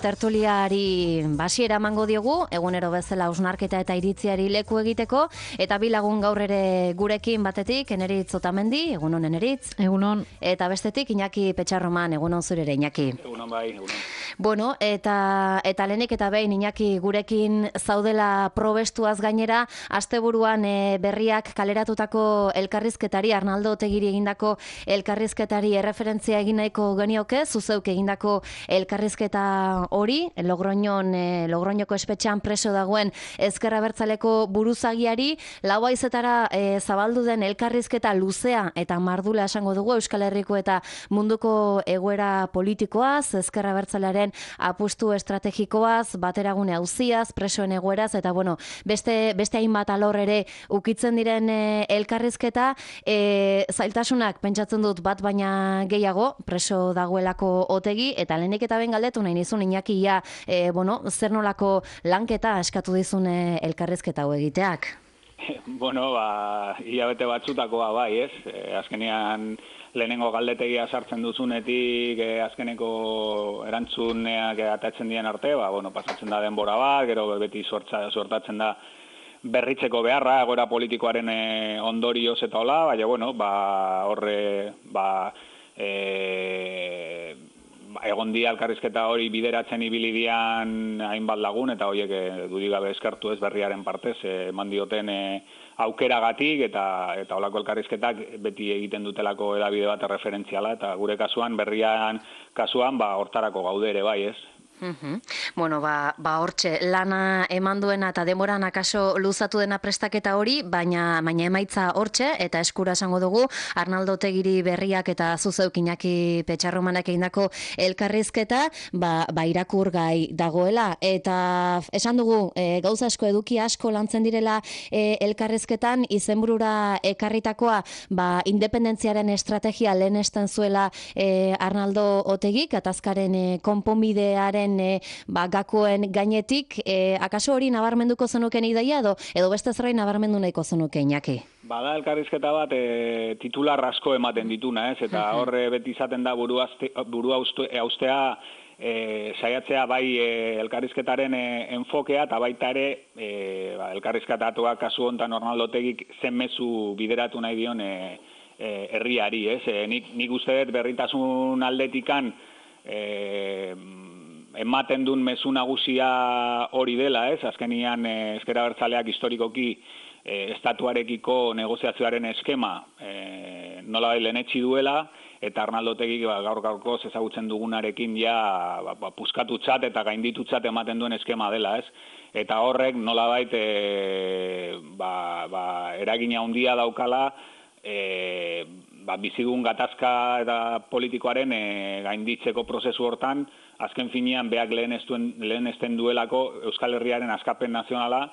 Tertuliari basiera emango diogu, egunero bezala hausnarketa eta iritziari leku egiteko, eta bi lagun gaur ere gurekin batetik, Eneritz Otamendi, egunon Eneritz. Egunon. Eta bestetik, Iñaki Petxarroman, egunon zure ere, Iñaki. Egunon bai, egunon. Bueno, eta lehenik eta behin, Iñaki, gurekin zaudela probestuaz gainera, asteburuan berriak kaleratutako elkarrizketari, Arnaldo Otegiri egindako elkarrizketari erreferentzia egin nahiko genioke, zuzeuk egindako elkarrizketa hori, Logroñoko espetxean preso dagoen Ezker Abertzaleko buruzagiari, lau haizetara zabaldu den elkarrizketa luzea eta mardula esango dugu Euskal Herriko eta munduko egoera politikoaz, Ezker Abertzalearen apustu estrategikoaz, bateragune auziaz, presoen egoeraz, eta bueno, beste hainbat alor ere ukitzen diren elkarrizketa, zailtasunak pentsatzen dut bat baina gehiago, preso dagoelako Otegi, eta lehenik eta ben galdetu nahi nizun Iñaki zer nolako lanketa eskatu dizun elkarrizketa hau egiteak? Bueno, hilabete batzutakoa bai, ez? Azkenean lehenengo galdetegia sartzen duzunetik, azkeneko erantzuneak atatzen dien arte, pasatzen da denbora bat, gero beti sortatzen da berritzeko beharra, egoera politikoaren ondorioz eta hola, baina, horre, egon dia elkarrizketa hori bideratzen ibili dian hainbat lagun, eta horiek dudigabe eskertu ez berriaren partez, eman dioten aukeragatik, eta holako elkarrizketak beti egiten dutelako edabide bat referentziala, eta gure kasuan, berrian kasuan, hortarako gaude ere bai, ez? Bueno, hortxe, lana eman duena eta demoran akaso luzatu dena prestaketa hori, baina emaitza hortxe, eta eskura esango dugu, Arnaldo Otegiri berriak eta zuzeuk Iñaki Petxarromanak egindako elkarrizketa, irakur gai dagoela, eta esan dugu, gauza asko eduki asko lantzen direla elkarrizketan, izenburura ekarritakoa, independentziaren estrategia lehenesten zuela Arnaldo Otegik, atazkaren konponbidearen gakoen gainetik, akaso hori nabarmenduko zenuken ideia edo beste zerbait nabarmendu nahiko zenuke, Iñaki? Bada elkarrizketa bat titular asko ematen dituna, ez? Eta horre beti izaten da burua haustea saiatzea bai elkarrizketaren enfokea, eta baita ere elkarrizketatuak kasu honetan Arnaldo Otegik zen mezu bideratu nahi dion herriari, ez? Nik uste dut berritasun aldetikan ematen duen mezu nagusia hori dela, ez? Azkenian Ezker Abertzaleak historikoki estatuarekiko negoziazioaren eskema nola lehenetsi duela, eta Arnaldo Otegik gaur-gaurkoz ezagutzen dugunarekin puskatutzat eta gainditutzat ematen duen eskema dela, ez? Eta horrek nolabait eragina handia daukala bizigun gatazka eta politikoaren gainditzeko prozesu hortan, azken finean beak lehenesten duelako Euskal Herriaren askapen nazionala,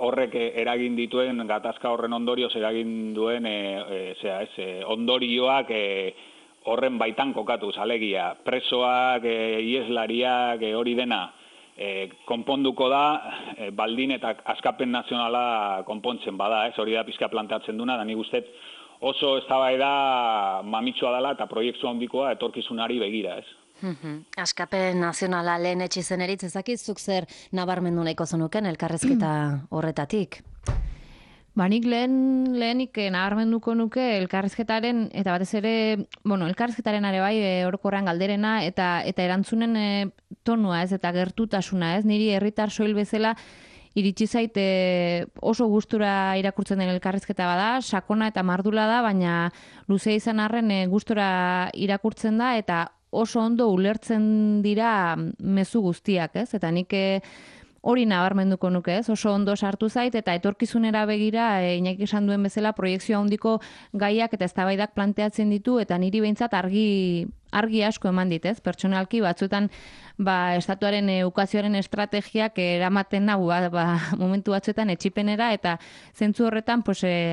horrek eragin dituen gatazka horren ondorioz eragin duen ondorioak horren baitan kokatuz, alegia, presoak, ieslariak, hori dena, konponduko da, baldin eta askapen nazionala konpontzen bada, ez? Hori da pizka planteatzen duna, da nik uste oso eztabaida mamitsua dela eta proiektu handikoa etorkizunari begira, ez? Askapen nazionala lehen etxizen eritz, ezakizuk zer nabarmendu nahiko zenuken elkarrezketa horretatik? Nik lehenik nabarmenduko nuke elkarrizketaren, eta batez ere, elkarrizketaren are bai, orokorrean galderena, eta erantzunen tonua ez, eta gertutasuna ez, niri herritar soil bezala iritsi zait oso gustura irakurtzen den elkarrizketa bada, sakona eta mardula da, baina luzea izan arren gustura irakurtzen da, eta oso ondo ulertzen dira mezu guztiak, ez? Eta nik hori nabarmenduko nuke, ez? Oso ondo sartu zait, eta etorkizunera begira, Iñaki esan duen bezala, proiekzio handiko gaiak eta eztabaidak planteatzen ditu, eta niri behintzat argi asko eman dit, ez? Pertsonalki batzuetan estatuaren ukazioaren estrategiak eramaten nau momentu batzuetan etxipenera, eta zentzu horretan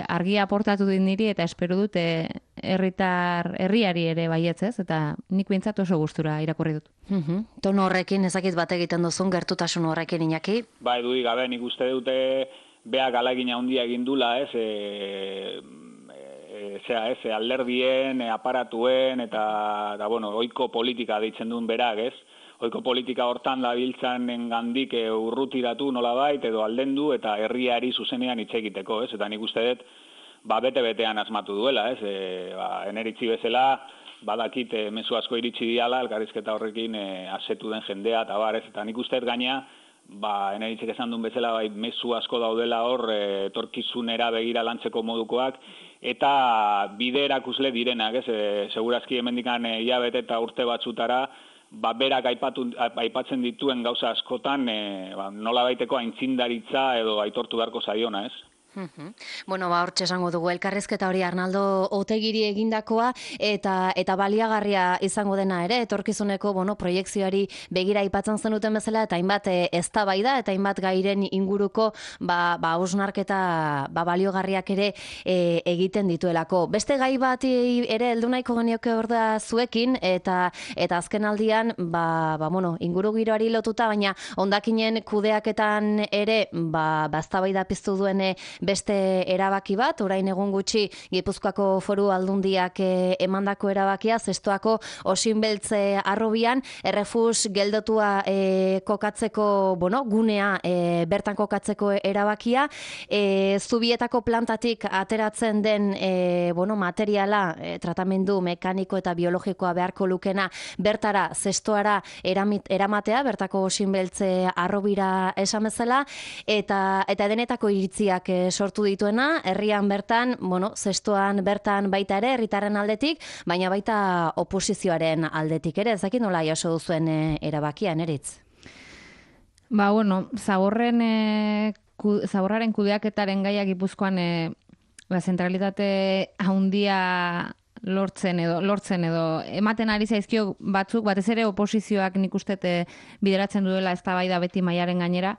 argia aportatu dit niri, eta espero dut herriari ere baietz, ez? Eta nik behintzat oso gustura irakurri dut. Tono horrekin ezakit bat egiten duzun, gertutasun horrekin, Iñaki? Edudik gabe, nik uste dute beak ahalegin handia egin dula, ez? Alderdien, aparatuen, eta ohiko politika deitzen duen berak, ez? ohiko politika hortan dabiltzanen gandik urrutiratu nolabait edo aldendu eta herriari zuzenean hitz egiteko, ez? Eta nik uste dut, bete-betean asmatu duela, ez? Eneritzi bezala, badakit mezu asko iritsi diala, elkarrizketa horrekin asetu den jendea, eta bar, ez? Eta nik uste dut gaina, eneritzik esan duen bezala, mezu asko daudela hor, etorkizunera begira lantzeko modukoak, eta bide erakusle direnak, ez? Segurazki hemendikan hilabete eta urte batzutara, berak aipatzen dituen gauza askotan, nola baiteko aintzindaritza edo aitortu beharko zaiona, ez? Bueno, hortxe esango dugu elkarrizketa hori Arnaldo Otegiri egindakoa eta baliagarria izango dena ere, etorkizuneko proiekzioari begira aipatzen zenuten bezala eta hainbat eztabaida eta hainbat gairen inguruko hausnarketa baliogarriak ere egiten dituelako. Beste gai bat ere heldu nahiko genioke hor da zuekin eta azken aldian inguru giroari lotuta, baina hondakinen kudeaketan ere eztabaida piztu duen beste erabaki bat, orain egun gutxi Gipuzkoako Foru Aldundiak emandako erabakia, Zestoako Osinbeltze Harrobian errefus geldotua kokatzeko, gunea bertan kokatzeko erabakia, Zubietako plantatik ateratzen den materiala, tratamendu mekaniko eta biologikoa beharko lukena bertara, Zestoara eramatea, bertako Osinbeltze Harrobira esan bezala, eta denetako iritziak sortu dituena, herrian bertan, Zestoan bertan baita ere, herritarren aldetik, baina baita oposizioaren aldetik ere, ez dakit nola jaso duzuen erabakia, Neritz? Zaborraren kudeaketaren gaia Gipuzkoan zentralitate handia lortzen edo ematen ari zaizkio batzuk, batez ere oposizioak nik uste bideratzen duela eztabaida beti mailaren gainera,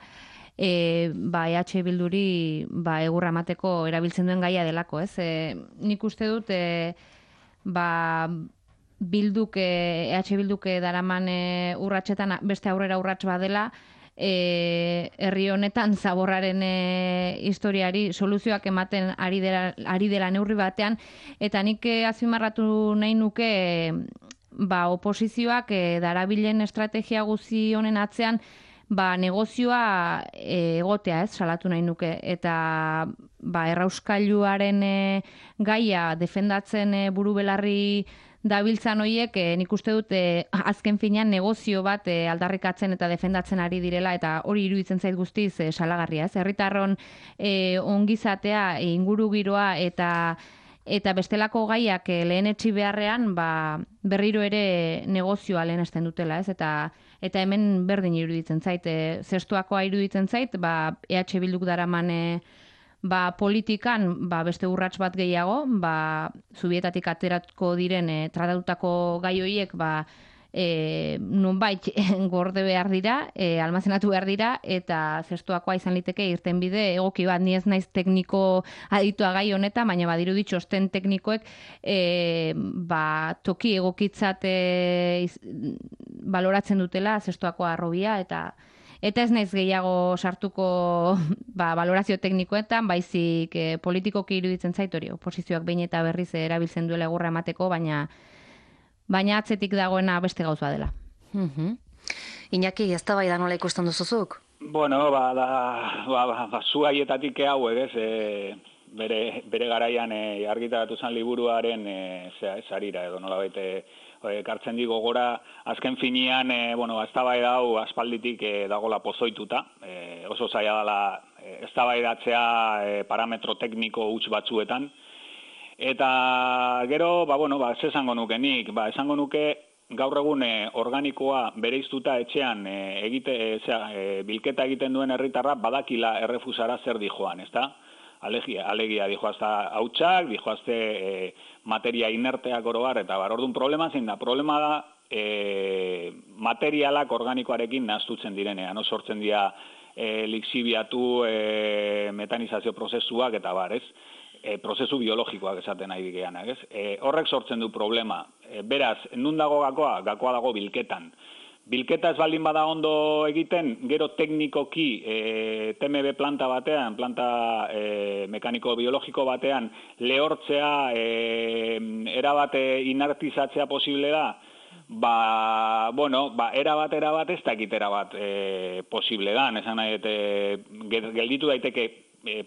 EH Bilduri egurra emateko erabiltzen duen gaia delako, ez? Nik uste dut EH Bilduk daraman urratsetan beste aurrera urrats badela, herri honetan zaborraren historiari soluzioak ematen ari dela neurri batean, eta nik azpimarratu nahi nuke oposizioak darabilen estrategia guzi honen atzean negozioa egotea, ez, salatu nahi nuke, eta errauskailuaren gaia defendatzen buru belarri dabiltzan hoiek, nik uste dut azken finean negozio bat aldarrikatzen eta defendatzen ari direla, eta hori iruditzen zait guztiz salagarria, ez, herritarron ongizatea, inguru giroa eta bestelako gaiak lehenetsi beharrean berriro ere negozioa lehenesten dutela, ez, eta hemen berdin iruditzen zait, Zestoakoa iruditzen zait, EH Bilduk daraman politikan beste urrats bat gehiago, Zubietatik ateratuko diren tratatutako gai horiek nonbait gorde behar dira, almazenatu behar dira, eta Zestoakoa izan liteke irtenbide egoki bat, ni ez naiz tekniko aditua gai honetan, baina badiru ditxosten teknikoek toki egokitzat baloratzen dutela Zestoakoa Harrobia, eta ez naiz gehiago sartuko balorazio teknikoetan, baizik politikoki iruditzen zait hori, oposizioak behin eta berriz erabiltzen duela egurra emateko, baina atzetik dagoena beste gauza dela. Iñaki, eztabaida nola ikusten duzuzuk? Bueno, zu haietatik hauek, ez, bere garaian argitaratu zen liburuaren sarira edo nolabait kartzen digo gora, azken finean, eztabaida hau aspalditik dagola pozoituta, oso zaila dela eztabaidatzea parametro tekniko huts batzuetan, eta gero, ez esango nuke nik, esango nuke gaur egun organikoa bereiztuta etxean bilketa egiten duen herritarra badakila errefusara zer dijoan, ezta? Alegia dijoazta hautsak, dijoazte materia inerteak oroar, eta orduan problema zein da. Problema da materialak organikoarekin nahaztutzen direnean, sortzen dira lixibiatu, metanizazio prozesuak eta ez? Prozesu biologikoak esaten nahi digeanak, ez? Horrek sortzen du problema. Beraz, nun dago gakoa? Gakoa dago bilketan. Bilketa ez baldin bada ondo egiten, gero teknikoki TMB planta batean, planta mekaniko-biologiko batean, lehortzea, erabate inertizatzea posible da, erabat ez dakit erabat posible dan, esan nahi, gelditu daiteke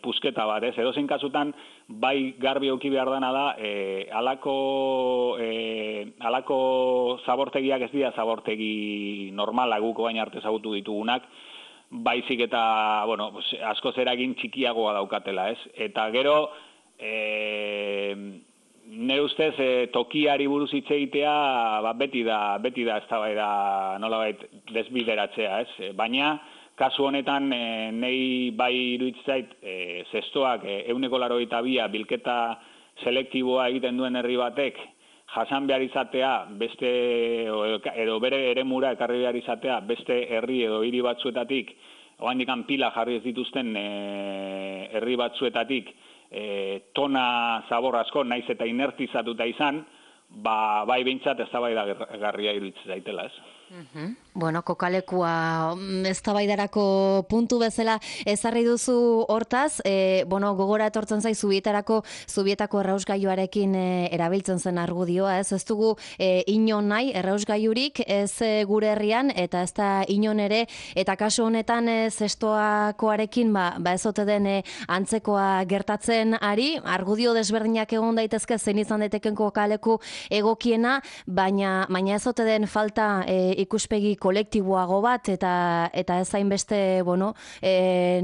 pusketa bat, ez? Edozein kasutan, bai garbi auki behar dana da, alako zabortegiak ez dira zabortegi normala guk baina arte ezagutu ditugunak, baizik eta, askoz eragin txikiagoa daukatela, ez? Eta gero, nire ustez, tokiari buruz hitz egitea, beti da eztabaida nolabait desbideratzea, ez? Baina, kasu honetan, nei bai iruditzait, zestoak 182 bilketa selektiboa egiten duen herri batek, jasan behar izatea, edo bere eremura ekarri behar izatea, beste herri edo hiri batzuetatik, oraindik pila jarri ez dituzten herri batzuetatik, tona zabor asko, naiz eta inertizatuta izan, bai behintzat eztabaidagarria iruditzen zaitela, ez? Kokalekua eztabaidarako puntu bezala ezarri duzu hortaz, gogora etortzen zai zubietako errausgailuarekin erabiltzen zen argudioa, ez dugu inon nahi errausgailurik ez gure herrian eta ez da inon ere, eta kasu honetan zestoakoarekin ez ote den antzekoa gertatzen ari, argudio desberdinak egon daitezke zein izan daiteken kokaleku egokiena, baina ez ote den falta ikuspegi kolektiboago bat eta ez hainbeste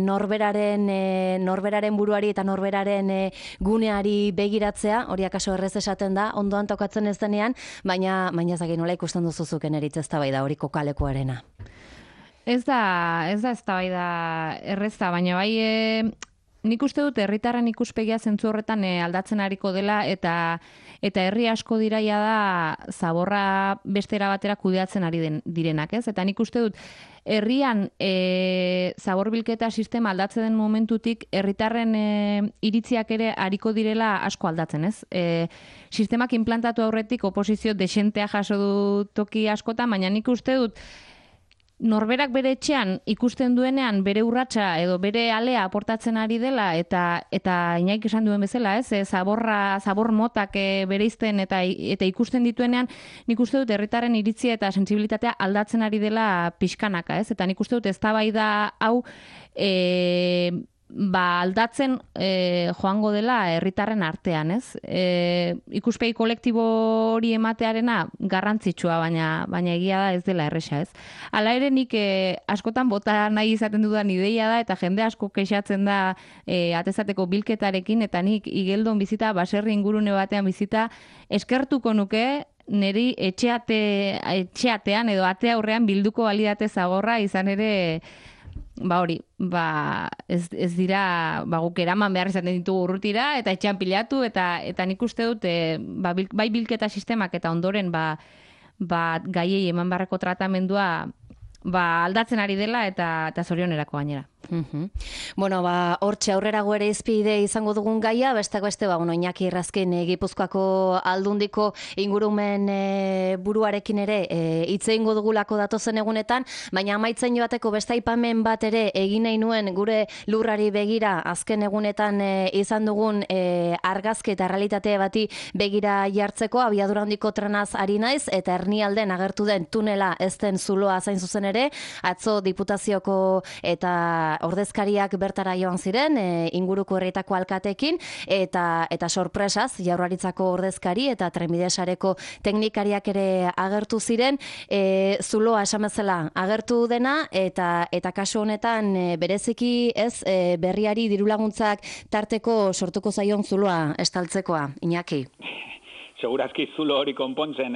norberaren buruari eta norberaren guneari begiratzea, hori akaso errez esaten da, ondoan tokatzen ez denean, baina ezagin nola ikusten duzuzuken eritz eztabaida hori kokalekuarena. Ez da eztabaida erreza, baina bai nik uste dut herritarren ikuspegia zentzu horretan aldatzen ariko dela eta herri asko diraia da zaborra bestera batera kudeatzen ari direnak, ez? Eta nik uste dut herrian zaborbilketa sistema aldatzen den momentutik herritarren iritziak ere ariko direla asko aldatzen, ez? Sistemak implantatu aurretik oposizio desentea jaso du toki askotan, baina nik uste dut norberak bere etxean ikusten duenean bere urratsa edo bere alea aportatzen ari dela eta Inaik esan duen bezala, ez? Zabor motak bereizten eta ikusten dituenean, nik uste dut herritarren iritzia eta sentsibilitatea aldatzen ari dela pixkanaka, ez? Eta nik uste dut eztabaida hau aldatzen joango dela herritarren artean, ez? Ikuspegi kolektibo hori ematearena garrantzitsua, baina egia da ez dela erresa, ez? Hala ere nik askotan bota nahi izaten dudan ideia da, eta jende asko kexatzen da atezateko bilketarekin, eta nik Igeldon bizita, baserri ingurune batean bizita, eskertuko nuke niri etxeatean edo ate aurrean bilduko balidate zagorra izan ere ez dira guk eraman behar izaten ditugu urrutira eta etxean pilatu eta nik uste dut bai bilketa sistemak eta ondoren gaiei eman beharreko tratamendua aldatzen ari dela eta zorionerako gainera. Hortxe aurrerago ere izpide izango dugun gaia, besteak beste, Iñaki Errazkin Gipuzkoako Aldundiko ingurumen buruarekin ere hitz egingo dugulako datozen egunetan, baina amaitzen joateko beste aipamen bat ere egin nahi nuen gure lurrari begira azken egunetan izan dugun argazki eta realitate bati begira jartzeko, abiadura handiko trenaz ari naiz, eta Ernialden agertu den tunela ez den zuloa zain zuzen ere, atzo Diputazioko eta ordezkariak bertara joan ziren, inguruko herrietako alkatekin, eta sorpresaz, Jaurlaritzako ordezkari eta trenbide sareko teknikariak ere agertu ziren, zuloa esan bezala agertu dena, eta kasu honetan bereziki ez berriari dirulaguntzak tarteko sortuko zaion zuloa estaltzekoa, Iñaki. Segurazki zulo hori konpontzen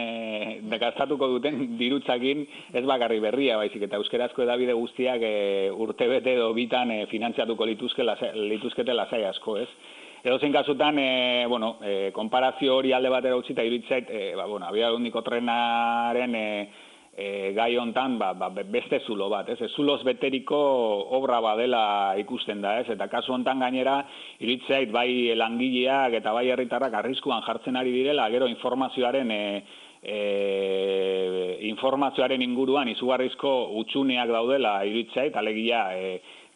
gastatuko duten dirutzakin ez bakarri berria, baizik eta euskerazko edabide guztiak urtebete edo bitan finantziatuko lituzkete lasai asko, ez? Edozein kasutan, konparazio hori alde batera utzita iruditzait, abiadura handiko trenaren gai hontan beste zulo bat, ez? Zuloz beteriko obra badela ikusten da, ez? Eta kasu hontan gainera iruditzait bai langileak eta bai herritarrak arriskuan jartzen ari direla, gero informazioaren inguruan izugarrizko hutsuneak daudela iruditzait, alegia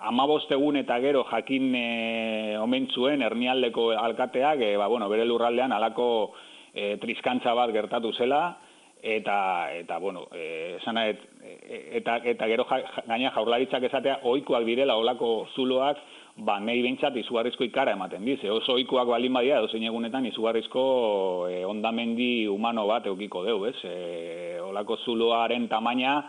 15 egun eta gero jakin omen zuen Ernialdeko alkateak bere lurraldean halako triskantza bat gertatu zela. eta bueno, eta gero gaina Jaurlaritzak esatea ohikoak direla olako zuloak, nahi behintzat izugarrizko ikara ematen dize. Oso ohikoak balin badia, edozein egunetan izugarrizko hondamendi humano bat eukiko deu, ez? Olako zuloaren tamaina,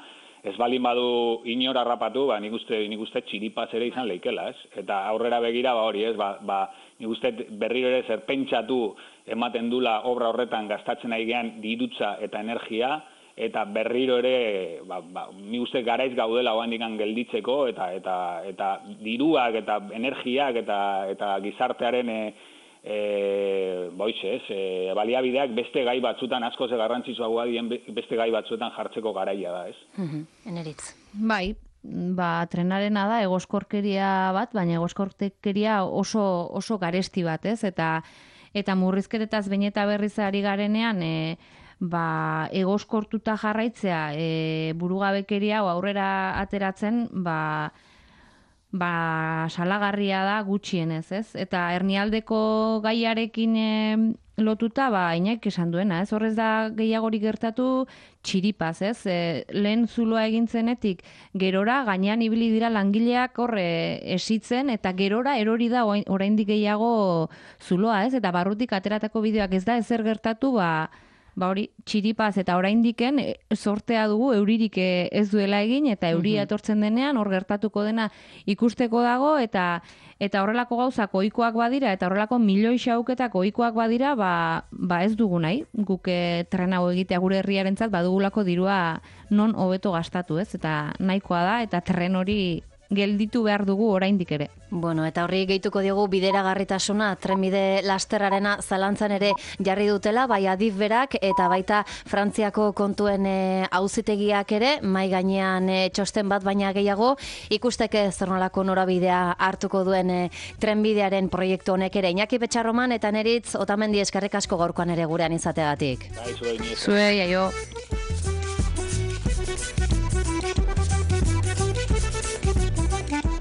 ez balin badu inor harrapatu, nik uste txiripaz ere izan leikela, ez? Eta aurrera begira, hori, ez? Nik uste berriro ere zer pentsatu ematen dula obra horretan gastatzen ari gean dirutza eta energia, eta berriro ere, nik uste garaiz gaudela oandikan gelditzeko, eta diruak eta energiak eta gizartearen baliabideak beste gai batzutan, askoz garrantzitsuagoa dien beste gai batzuetan jartzeko garaia da, ez? Eneritz. Bai, trenarena da egoskorkeria bat, baina egoskorkeria oso garesti bat, ez? Eta murrizketetaz behin eta berriz ari garenean, egoskortuta jarraitzea burugabekeria aurrera ateratzen, salagarria da gutxienez, ez? Eta hernialdeko gaiarekin lotuta, Iñak esan duena, ez? Horrez da gehiagorik gertatu txiripaz, ez? Lehen zuloa egintzenetik gerora, gainean ibili dira langileak horre esitzen, eta gerora erori da oraindik gehiago zuloa, ez? Eta barrutik ateratako bideoak ez da ezer gertatu, hori txiripaz eta oraindiken sortea dugu euririk ez duela egin, eta euria etortzen denean hor gertatuko dena ikusteko dago, eta horrelako gauzak ohikoak badira, eta horrelako milioi xauketak ohikoak badira, ez dugu nahi, guk tren hau egitea gure herriarentzat badugulako dirua non hobeto gastatu, ez? Eta nahikoa da, eta tren hori gelditu behar dugu oraindik ere. Bueno, eta horri gehituko diogu bideragarritasuna, trenbide lasterrarena zalantzan ere jarri dutela, bai Adif berak eta baita Frantziako kontuen auzitegiak ere, mai gainean txosten bat baina gehiago, ikusteke zer nolako norabidea hartuko duen trenbidearen proiektu honek ere. Iñaki Petxarroman eta Neritz Otamendi eskerrik asko gaurkoan ere gurean izateagatik. Bai, zuei, Zuei, aio.